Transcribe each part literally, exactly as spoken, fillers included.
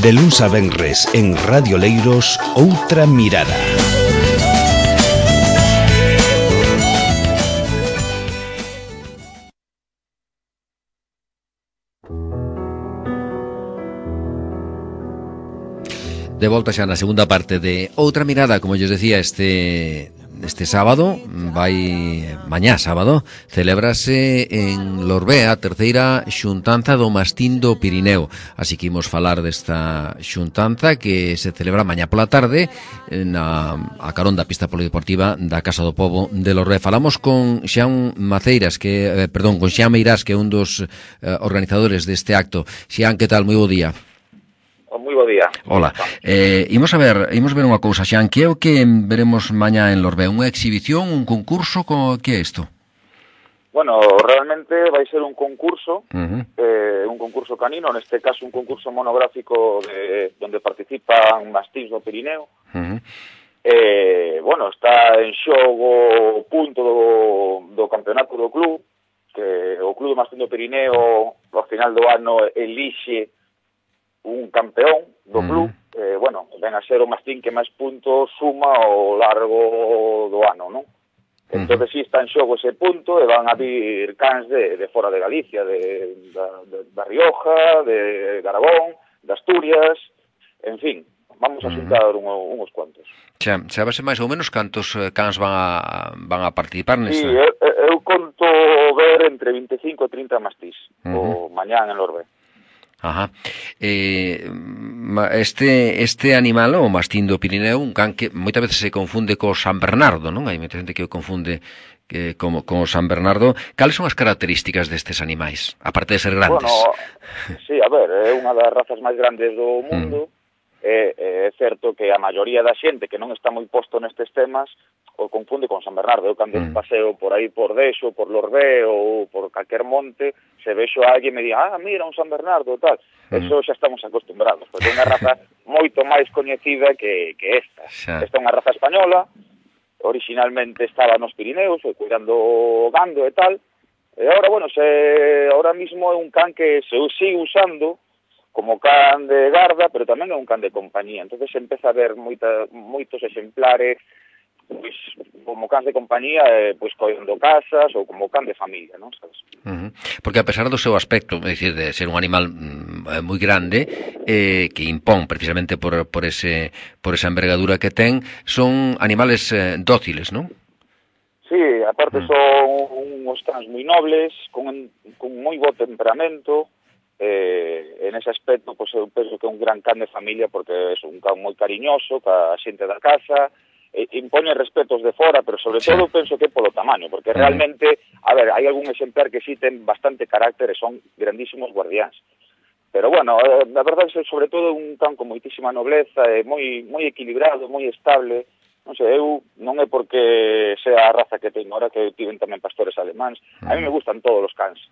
De luns a venres en Radio Leiros, Outra Mirada. De volta xa na segunda parte de Outra Mirada, como yo decía, este este sábado, vai mañá sábado, celébrase en Lorbea a terceira xuntanza do Mastín do Pirineo. Así que imos falar desta xuntanza que se celebra mañá pola tarde na a carón da pista polideportiva da Casa do Pobo de Lorbea. Falamos con Xian Maceiras, que eh, perdón, con Xian Meirás, que é un dos eh, organizadores deste acto. Xian, que tal? Moi bo día. Moi bo día. Hola. Eh, imos a ver, imos ver unha cousa, Xan, que é o que veremos mañá en Lorbea? Unha exhibición, un concurso, co, que é isto? Bueno, realmente vai ser un concurso, Uh-huh. eh, un concurso canino, neste caso un concurso monográfico de, donde participan mastíns do Pirineo. Uh-huh. Eh, bueno, está en xogo o punto do, do campeonato do club, que o club do Mastín do Pirineo ao final do ano elixe un campeón do club, uh-huh. eh, bueno, ven a ser o mastín que máis puntos suma ao largo do ano, non? Uh-huh. Entón, si está en xogo ese punto, e van a vir cans de, de fora de Galicia, de, da, de, da Rioja, de Aragón, de Asturias, en fin, vamos a xuntar uh-huh. un, uns cuantos. Xa, sabese máis ou menos cantos cans van a, van a participar nesta? Sí, eu, eu conto ver entre vinte e cinco e trinta mastís, uh-huh. o mañán en Lorbea. Ajá. Eh, este este animal, o mastín do Pirineo, un can que moitas veces se confunde co San Bernardo, non? Hai moita xente que o confunde que como con o San Bernardo. Cales son as características destes animais, aparte de ser grandes? Bueno, sí, a ver, é unha das razas máis grandes do mundo. Mm. É, é certo que a maioría da xente que non está moi posto nestes temas o confunde con San Bernardo. Eu cando mm. paseo por aí por Dexo, por Lorbea ou por calquer monte, se vexo a alguén me di, ah, mira, un San Bernardo, tal. Mm. Eso xa estamos acostumbrados, porque é unha raza moito máis coñecida que, que esta. Xa. Esta é unha raza española, originalmente estaba nos Pirineos, cuidando o gando e tal, e agora, bueno, se ahora mismo é un can que se sigue usando como can de garda, pero tamén é un can de compañía. Entonces se empeza a ver moita, moitos exemplares pois, como can de compañía, eh, pois coidando casas ou como can de familia, non sabes? Uh-huh. Porque a pesar do seu aspecto, é dicir, de ser un animal mm, moi grande, eh, que impón precisamente por, por, ese, por esa envergadura que ten, son animales eh, dóciles, non? Sí, aparte uh-huh. son uns cans moi nobles, con, con moi bo temperamento. Eh, en ese aspecto, pues, eu penso que é un gran can de familia porque é un can moi cariñoso ca xente da casa, eh, impone respetos de fora, pero sobre sí. todo penso que é polo tamaño, porque uh-huh. realmente, a ver, hai algún exemplar que sí ten bastante carácter e son grandísimos guardiáns. Pero bueno, eh, a verdade é sobre todo un can con moitísima nobleza, e moi moi equilibrado, moi estable. Non sei, eu non é porque sea a raza que teño ahora, que tiven tamén pastores alemáns, uh-huh. a mí me gustan todos os cans.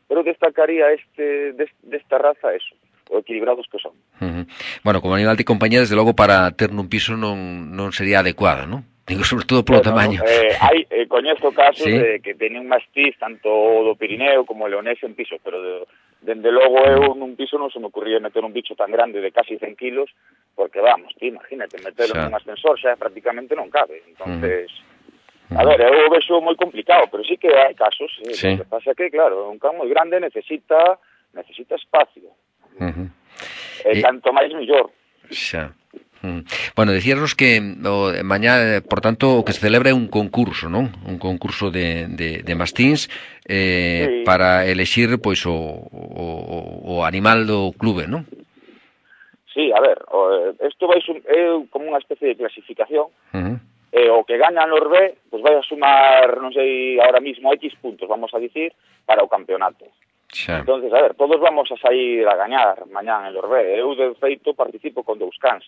Pero destacaría este desta raza eso, o equilibrados que son. Uh-huh. Bueno, como animal de compañía, desde logo para ter nun piso non non sería adecuado, non? Digo, sobre todo polo bueno, tamaño. Eh, hai, eh, coñezo casos ¿Sí? de que teñen mastíz tanto do Pirineo como o leonés en piso, pero de, dende logo eu nun piso non se me ocurría meter un bicho tan grande de casi cen kilos, porque vamos, tí, imagínate, meterlo xa. nun ascensor xa prácticamente non cabe, entonces... Uh-huh. A ver, eu vexo moi complicado, pero sí que hai casos. Eh, sí. Lo que pasa é que, claro, un can moi grande necesita necesita espacio. Uh-huh. E eh, tanto máis mellor. Xa. Uh-huh. Bueno, decíanos que o, mañá, por tanto, o que se celebra é un concurso, non? Un concurso de, de, de mastíns eh, sí. para elexir, pois, o, o, o animal do clube, non? Sí, a ver, isto vai é como unha especie de clasificación. Uh-huh. Eh, o que gana Lorbea, pues vai a sumar, non sei, ahora mismo X puntos, vamos a dicir, para o campeonato. Xa. Entonces, a ver, todos vamos a sair a gañar mañán en Lorbea. Eu, de feito, participo con dous cans.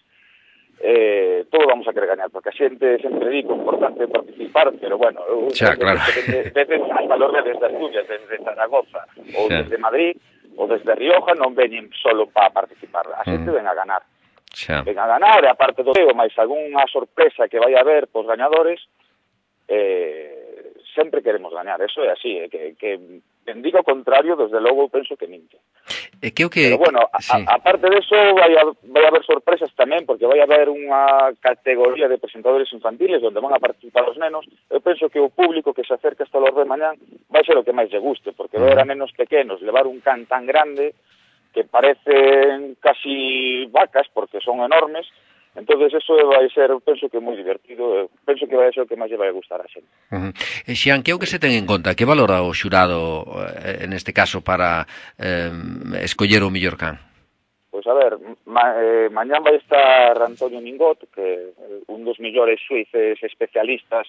Eh, todos vamos a querer gañar, porque a xente sempre digo, importante participar, pero bueno, eu, xa, claro. desde, desde hasta Lorbea, desde Asturias, desde Zaragoza, ou xa. desde Madrid, ou desde Rioja, non veñen solo para participar, a xente mm. ven a ganar. Xa. Ven a ganar, e aparte do teo, máis algunha sorpresa que vai haber pos gañadores, eh, sempre queremos gañar, eso é así, eh, que, que quen diga o contrario, desde logo, eu penso que minte. E que o que... Pero bueno, a, sí. a, aparte de eso, vai, a, vai haber sorpresas tamén, porque vai haber unha categoría de presentadores infantiles onde van a participar os nenos. Eu penso que o público que se acerca hasta Lorbe mañán vai ser o que máis lle guste, porque ver a nenos pequenos levar un can tan grande que parecen casi vacas, porque son enormes. Entonces eso vai ser, penso que moi divertido, penso que vai ser o que máis lle vai gustar a xente. Uh -huh. E Xian, que é o que se ten en conta? Que valora o xurado, eh, en este caso, para eh, escoller o mellor can? Pois a ver, ma, eh, mañán vai estar Antonio Mingot, que é un dos mellores suíces especialistas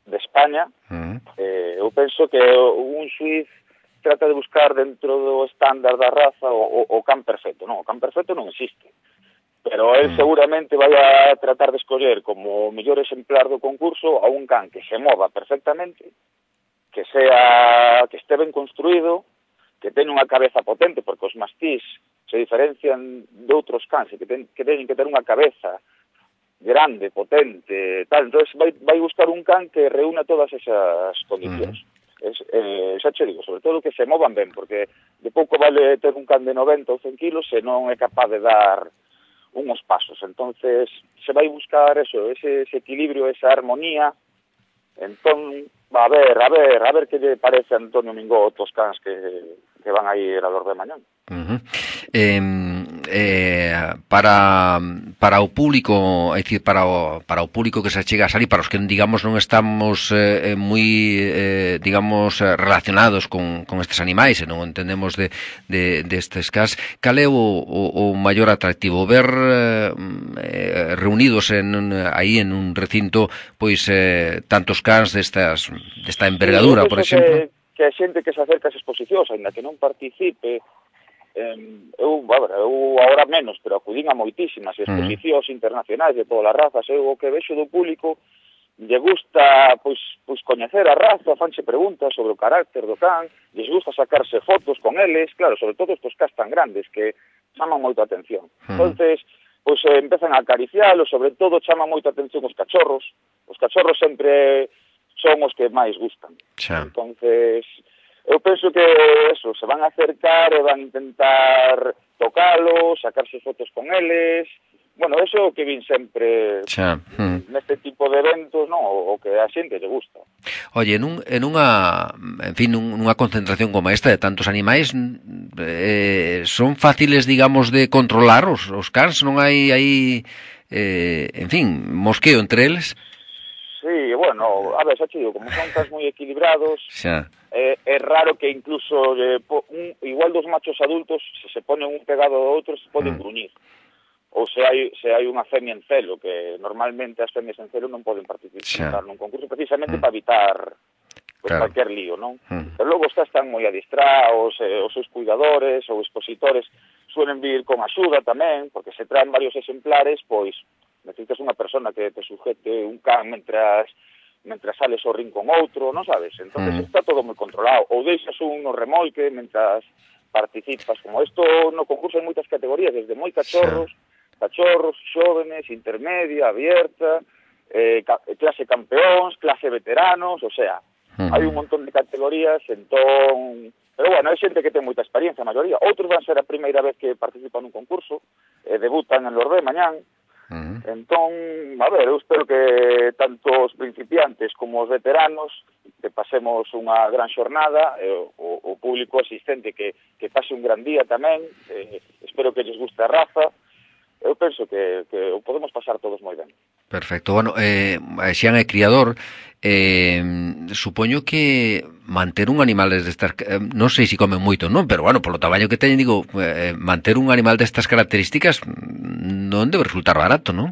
de España. Uh -huh. eh, eu penso que un suiz trata de buscar dentro do estándar da raza o, o, o can perfecto. Non, o can perfecto non existe. Pero él seguramente vai a tratar de escoller como mellor exemplar do concurso a un can que se mova perfectamente, que sea que este ben construído, que ten unha cabeza potente, porque os mastís se diferencian de outros cans, que, ten, que teñen que ter unha cabeza grande, potente, tal. Entonces vai, vai buscar un can que reúna todas esas condicións. Uh-huh. Es, eh, xa che digo, sobre todo que se movan ben, porque de pouco vale ter un can de noventa ou cen kilos se non é capaz de dar unos pasos. Entonces se vai buscar eso, ese, ese equilibrio, esa armonía. Entón, a ver, a ver, a ver que lle parece a Antonio Mingot os cans que, que van a ir a Lorbe mañán. Uh -huh. eh, eh, para para o público, é dicir, para o, para o público que se chega a salir, para os que, digamos, non estamos eh, moi, eh, digamos, relacionados con, con estes animais e non entendemos de, de, de estes cans, cal é o, o, o maior atractivo? Ver eh, reunidos en, aí en un recinto, pois, eh, tantos cans destas, desta envergadura, sí, por exemplo? Que, que a xente que se acerca ás exposicións, ainda que non participe, Eh, eu, a ver, eu agora menos, pero acudín a moitísimas exposicións uh-huh. internacionais de todas as razas. Eu o que vexo do público lle gusta pois, pois coñecer a raza, fanse preguntas sobre o carácter do can, lles gusta sacarse fotos con eles, claro, sobre todo estos cans tan grandes que chaman moito a atención. Uh-huh. Entonces, pois eh, empezan a acariciálos, sobre todo chaman moito a atención os cachorros. Os cachorros sempre son os que máis gustan. Xa. Entonces, eu penso que eso, se van a acercar e van a intentar tocalos, sacarse fotos con eles. Bueno, eso que vin sempre xa. Mm. neste tipo de eventos, no, o que a xente lle gusta. Oye, en, un, en unha, en fin, nunha concentración como esta de tantos animais, eh, son fáciles, digamos, de controlar os, os cans? Non hai aí, eh, en fin, mosqueo entre eles? Sí, bueno, a ver, xa chido, como son cans moi equilibrados, xa. Eh, é raro que incluso eh, un, igual dos machos adultos, se se ponen un pegado ao outro, se poden mm. gruñir. Ou se hai, se hai unha femia en celo, que normalmente as femias en celo non poden participar xa. Nun concurso precisamente mm. para evitar pues, claro. cualquier lío, non? Mm. Pero logo estas están moi adistrados, eh, os seus cuidadores ou expositores suelen vir con axuda tamén, porque se traen varios exemplares, pois necesitas unha persona que te sujete un can mentras mentras sales ao ring con outro, non sabes? Entonces mm. está todo moi controlado. Ou deixas un no remolque mentras participas. Como isto no concurso hai moitas categorías, desde moi cachorros, sí. cachorros, xóvenes, intermedia, abierta, eh, clase campeóns, clase veteranos, o sea, mm. hai un montón de categorías, entón... Pero bueno, hai xente que ten moita experiencia, a maioría. Outros van ser a primeira vez que participan nun concurso, eh, debutan en Lorbe mañán. Uh-huh. Entón, a ver, eu espero que tanto os principiantes como os veteranos que pasemos unha gran xornada, eh, o, o público asistente que, que pase un gran día tamén, eh, espero que lles guste a raza. Eu penso que, que o podemos pasar todos moi ben. Perfecto. Bueno, eh, Xian é criador, eh, supoño que manter un animal destas, eh, non sei se comen moito, non, pero bueno, polo tamaño que teñen, digo, eh, manter un animal destas características non debe resultar barato, non?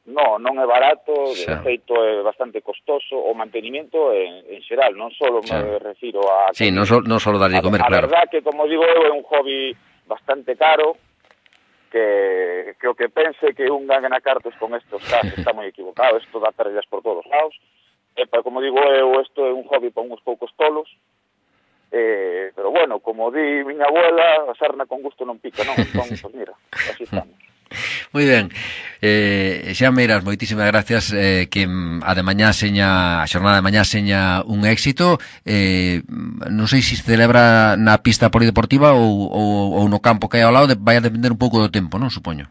No, non é barato, de feito é bastante costoso, o mantenimiento en, en xeral, non só me refiro a... Sí, non só non só darlle de comer, a, claro. A verdad que, como digo eu, é un hobby bastante caro, que, que o que pense que un gana cartos con estos casos está moi equivocado, isto dá pérdidas por todos lados. E, pero, como digo eu, isto é un hobby para uns poucos tolos, eh, pero bueno, como di miña abuela, a sarna con gusto non pica, non? Entón, pues mira, así estamos. Moi ben. Eh, xa Meiras, moitísimas gracias, eh, que a de mañá seña, a xornada de mañá seña un éxito. Eh, non sei se se celebra na pista polideportiva ou, ou, ou no campo que hai ao lado, de, vai a depender un pouco do tempo, non, supoño?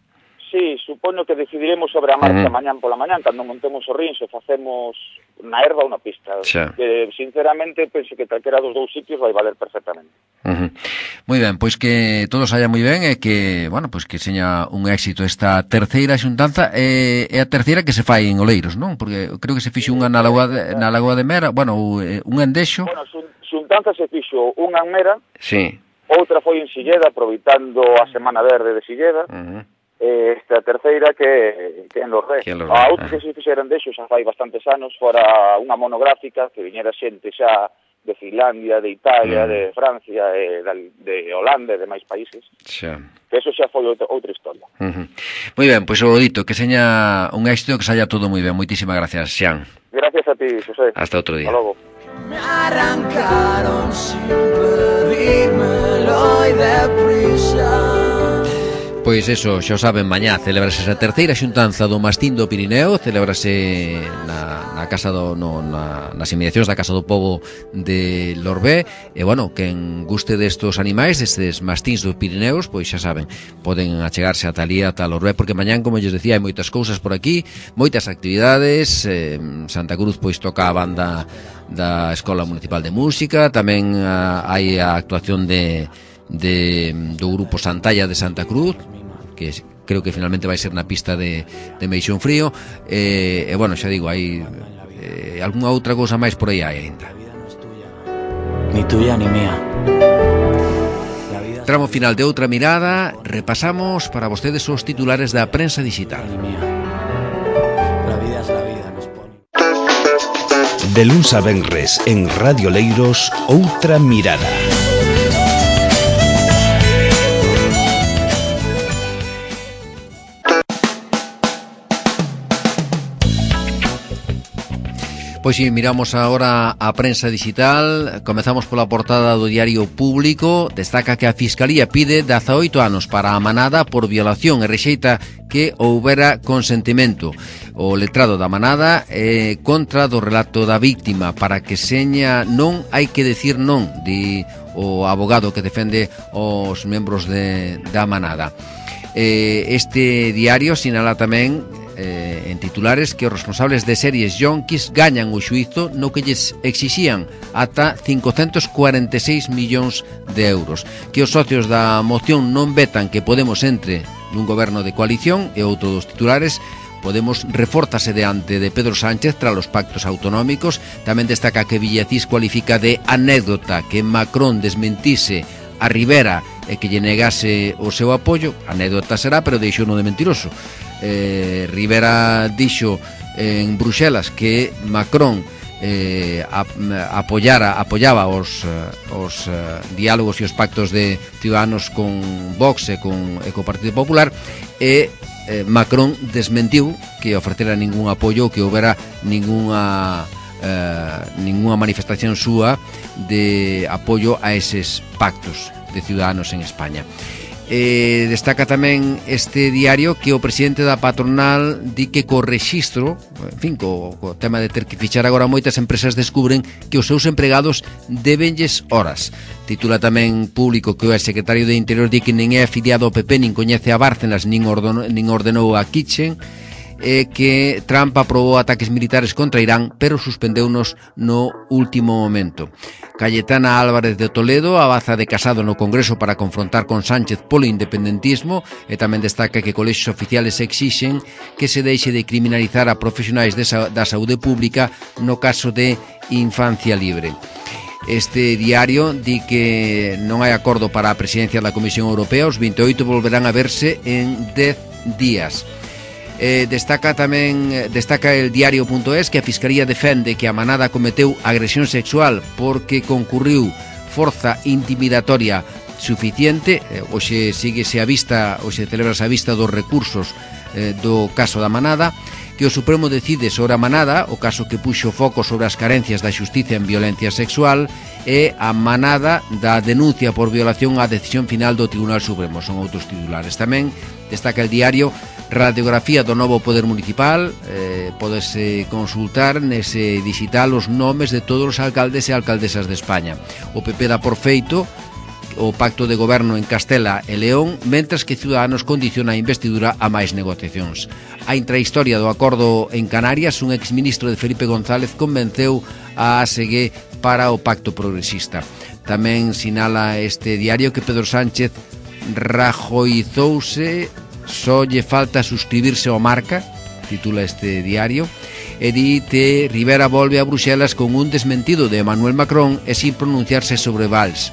Sí, supoño que decidiremos sobre a marcha Uh-huh. mañán pola mañán, cando montemos o rins, o facemos na herba ou na pista. Xa. Que, sinceramente, penso que calquera dos dous sitios vai valer perfectamente. Uh-huh. Moi ben, pois que todo saia moi ben e que, bueno, pois que seña un éxito esta terceira xuntanza, e, e a terceira que se fai en Oleiros, non? Porque creo que se fixo unha na Lagoa de, na Lagoa de Mera, bueno, un endexo. Bueno, xuntanza se fixo unha en Mera, Sí. outra foi en Silleda, aproveitando a Semana Verde de Silleda, Uh-huh. e esta terceira que, que en Lorré. A outra que se fixeron dexo xa fai bastantes anos, fora unha monográfica que viñera xente xa de Finlandia, de Italia, uh-huh. de Francia, e de Holanda e de máis países. Xa. Que eso xa foi outra, outra historia. Uh-huh. Moi ben, pois o dito, que seña un éxito, que saia todo moi ben. Moitísimas gracias, Xan. Gracias a ti, José. Hasta outro día. Hasta logo. Me arrancaron sin pedírmelo y deprisa. Pois eso, xa saben, mañá celebrase esa terceira xuntanza do Mastín do Pirineo, celebrase na, na casa do, no, na, nas inmediacións da Casa do Pobo de Lorbé, e bueno, quen guste destos animais, destes mastíns dos Pirineos, pois xa saben, poden achegarse ata ali, ata Lorbé, porque mañán, como lles decía, hai moitas cousas por aquí, moitas actividades, eh, Santa Cruz pois toca a banda da Escola Municipal de Música, tamén a, hai a actuación de de do grupo Santalla de Santa Cruz, que creo que finalmente vai ser na pista de, de Meixón Frío, e, e bueno, xa digo, hai eh, algunha outra cousa máis por aí hai ainda. Ni tuya ni mía. Tramo final de Outra Mirada, repasamos para vostedes os titulares da prensa digital. La vida es la vida, nos pone. De luns a venres en Radio Leiros, Outra Mirada. Pois si, miramos agora a prensa digital. Comezamos pola portada do Diario Público. Destaca que a Fiscalía pide dezaoito anos para a manada por violación e rexeita que houbera consentimento. O letrado da manada é contra do relato da víctima. Para que seña non hai que decir non, di o abogado que defende os membros de, da manada. Eh, este diario sinala tamén Eh, en titulares que os responsables de series yonkis gañan o xuízo no que lles exixían ata cincocentos cuarenta e seis millóns de euros, que os socios da moción non vetan que Podemos entre nun goberno de coalición, e outro dos titulares, Podemos refórtase diante de Pedro Sánchez tras os pactos autonómicos. Tamén destaca que Villacís cualifica de anécdota que Macron desmentise a Rivera e que lle negase o seu apoio. Anécdota será, pero deixou no de mentiroso. Eh, Rivera dixo en Bruxelas que Macron eh, a, apoyara, apoyaba os, os uh, diálogos e os pactos de Ciudadanos con Vox e con, e co Partido Popular, e eh, Macron desmentiu que ofrecera ningún apoio, que houbera ninguna eh, ninguna manifestación súa de apoio a eses pactos de Ciudadanos en España. Eh, destaca tamén este diario que o presidente da patronal di que co rexistro, en fin, co, co tema de ter que fichar agora, moitas empresas descubren que os seus empregados debenlles horas. Titula tamén Público que o secretario de Interior di que nin é afiliado ao P P, nin coñece a Bárcenas, nin ordenou, nin ordenou a Kitchen, e que Trump aprobou ataques militares contra Irán, pero suspendeunos no último momento. Cayetana Álvarez de Toledo abaza de Casado no Congreso para confrontar con Sánchez polo independentismo, e tamén destaca que colexios oficiales exixen que se deixe de criminalizar a profesionais de sa- da saúde pública no caso de infancia libre. Este diario di que non hai acordo para a presidencia da Comisión Europea, os vinte e oito volverán a verse en dez días. Eh, destaca tamén destaca el diario.es que a Fiscalía defende que a manada cometeu agresión sexual porque concurriu forza intimidatoria suficiente. eh, Hoxe síguese a vista, hoxe celebrase a vista dos recursos eh, do caso da manada, que o Supremo decide sobre a manada, o caso que puxo foco sobre as carencias da xustiza en violencia sexual, e a manada da denuncia por violación á decisión final do Tribunal Supremo. Son outros titulares. Tamén destaca el diario radiografía do novo poder municipal, eh, podese consultar nese digital os nomes de todos os alcaldes e alcaldesas de España. O P P dá por feito o pacto de goberno en Castela e León, mentras que Ciudadanos condiciona a investidura a máis negociacións. A intrahistoria do acordo en Canarias, un exministro de Felipe González convenceu a A S G para o pacto progresista. Tamén sinala este diario que Pedro Sánchez rajoizouse, só lle falta suscribirse ao Marca, titula este diario, e di que Rivera volve a Bruxelas con un desmentido de Emmanuel Macron e sin pronunciarse sobre Valls.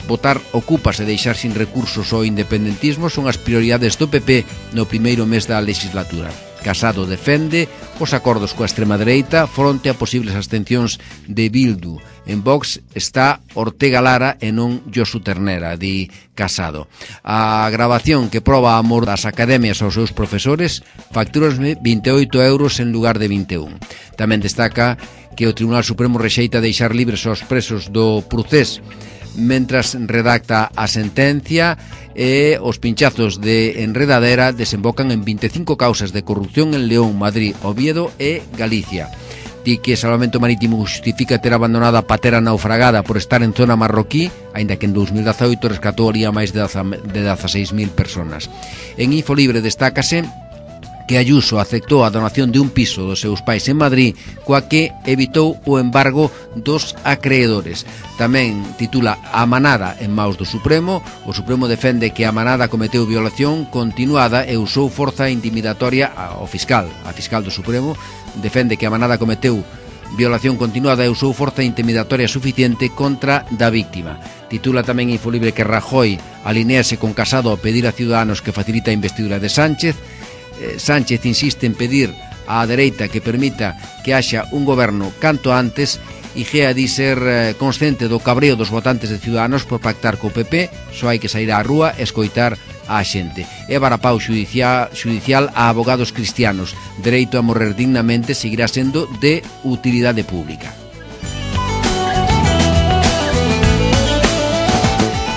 Votar ocupas e deixar sin recursos o independentismo son as prioridades do P P no primeiro mes da legislatura. Casado defende os acordos coa extrema dereita fronte a posibles abstencións de Bildu. En Vox está Ortega Lara e non Josu Ternera, di Casado. A grabación que proba a amor das academias aos seus profesores facturas vinte e oito euros en lugar de vinte e un. Tamén destaca que o Tribunal Supremo rexeita deixar libres aos presos do Procés mentras redacta a sentencia, e os pinchazos de enredadera desembocan en vinte e cinco causas de corrupción en León, Madrid, Oviedo e Galicia. Di que Salvamento Marítimo justifica ter abandonado a patera naufragada por estar en zona marroquí, aínda que en dos mil dezaoito rescatou ali a máis de dezaseis mil personas. En Infolibre destácase que Ayuso aceptou a donación de un piso dos seus pais en Madrid, coa que evitou o embargo dos acreedores. Tamén titula A manada en maus do Supremo. O Supremo defende que a manada cometeu violación continuada e usou forza intimidatoria ao fiscal. A fiscal do Supremo defende que a manada cometeu violación continuada e usou forza intimidatoria suficiente contra da víctima. Titula tamén Infolibre que Rajoy alinease con Casado a pedir a Ciudadanos que facilita a investidura de Sánchez. Sánchez insiste en pedir á dereita que permita que haxa un goberno canto antes, e Gea di ser consciente do cabreo dos votantes de Ciudadanos por pactar co P P. Só hai que sair á rúa e escoitar á xente. E varapau judicial, judicial a abogados cristianos. Dereito a morrer dignamente seguirá sendo de utilidade pública.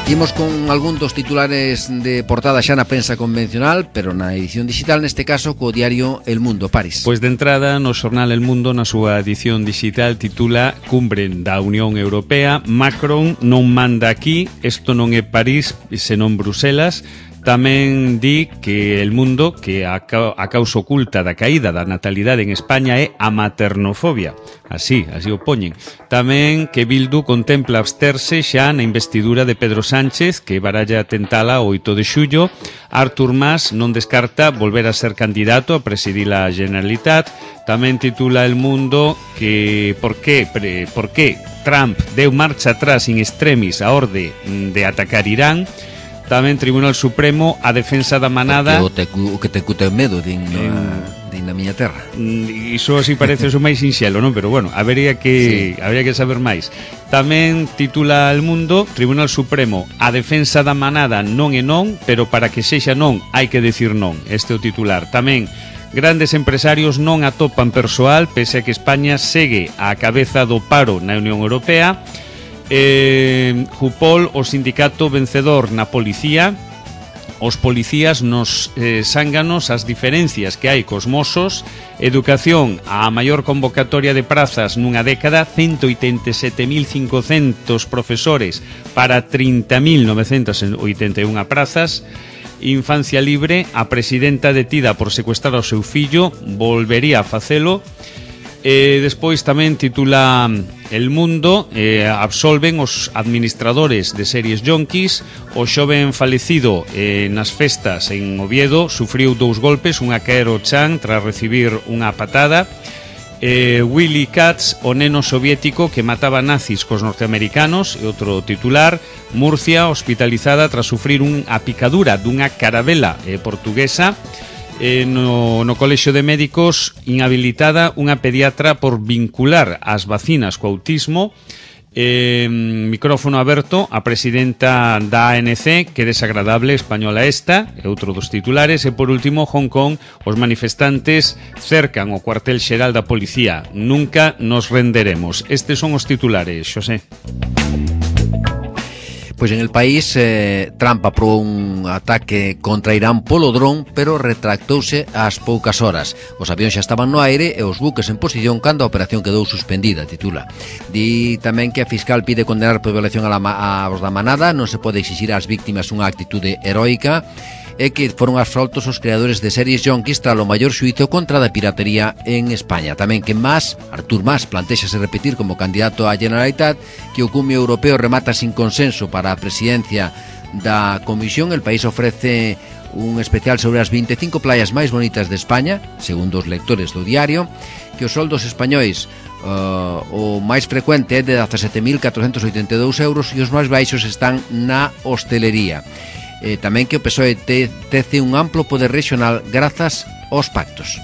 Imos con algún dos titulares de portada xa na prensa convencional, pero na edición digital, neste caso co diario El Mundo. Paris. Pois de entrada, no xornal El Mundo, na súa edición digital, titula Cumbre da Unión Europea, Macron non manda aquí, isto non é París, senón Bruselas. Tamén di que El Mundo que a, ca a causa oculta da caída da natalidade en España é a maternofobia. Así, así o poñen. Tamén que Bildu contempla absterse xa na investidura de Pedro Sánchez, que baralla tentala o oito de xullo. Artur Mas non descarta volver a ser candidato a presidir a Generalitat. Tamén titula El Mundo que por que, pre, por que Trump deu marcha atrás in extremis a orde de atacar Irán. Tamén Tribunal Supremo a defensa da manada. O, te, o que te cute medo din na, din na miña terra. Iso así parece o máis sinxelo, non? Pero bueno, habería que, sí. habería que saber máis. Tamén titula El Mundo, Tribunal Supremo a defensa da manada non é non, pero para que sexa non hai que decir non. Este é o titular. Tamén grandes empresarios non atopan persoal pese a que España segue á cabeza do paro na Unión Europea. Eh, Jupol, o sindicato vencedor na policía. Os policías nos eh, zánganos as diferencias que hai cos mozos. Educación, a maior convocatoria de prazas nunha década, ciento oitenta e sete mil cincocentos profesores para trinta mil novecentas oitenta e unha prazas. Infancia libre, a presidenta detida por secuestrar ao seu fillo volvería a facelo. E despois tamén titula El Mundo, eh, absolven os administradores de series yonkis. O xoven falecido eh, nas festas en Oviedo sufriu dous golpes, unha caer ao chan tras recibir unha patada. eh, Willy Katz, o neno soviético que mataba nazis cos norteamericanos. E outro titular, Murcia hospitalizada tras sufrir unha picadura dunha carabela eh, portuguesa. Eh, no, no Colexio de Médicos inhabilitada unha pediatra por vincular as vacinas co autismo. Eh, micrófono aberto a presidenta da A N C, que desagradable española esta, é outro dos titulares. E por último, Hong Kong, os manifestantes cercan o cuartel xeral da policía. Nunca nos renderemos. Estes son os titulares, Xosé. Pois en el país, eh, Trump aprobou un ataque contra Irán polo dron, pero retractouse ás poucas horas. Os avións xa estaban no aire e os buques en posición cando a operación quedou suspendida, titula. Di tamén que a fiscal pide condenar por violación a la, a, aos da manada, non se pode exixir ás víctimas unha actitude heroica, e que foron absoltos os creadores de series yonkis tras o maior xuízo contra da piratería en España. Tamén que Mas, Artur Mas, plantéxase repetir como candidato á Generalitat, que o cumio europeo remata sin consenso para a presidencia da Comisión. El país ofrece un especial sobre as veinticinco playas máis bonitas de España, segundo os lectores do diario, que os soldos españois uh, o máis frecuente é de dezasete mil catrocentos oitenta e dous euros e os máis baixos están na hostelería. Eh, tamén que o P S O E te, tece un amplo poder regional grazas aos pactos.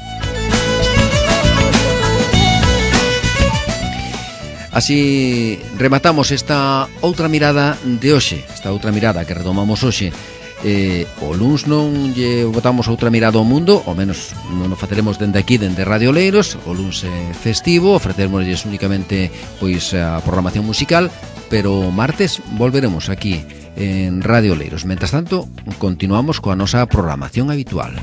Así rematamos esta outra mirada de hoxe, esta outra mirada que retomamos hoxe. Eh, o luns non lle botamos outra mirada ao mundo, ao menos non o faceremos dende aquí, dende Radio Leiros. O luns é festivo, ofrecermosles únicamente pois a programación musical, pero martes volveremos aquí en Radio Leiros. Mentres tanto, continuamos coa nosa programación habitual.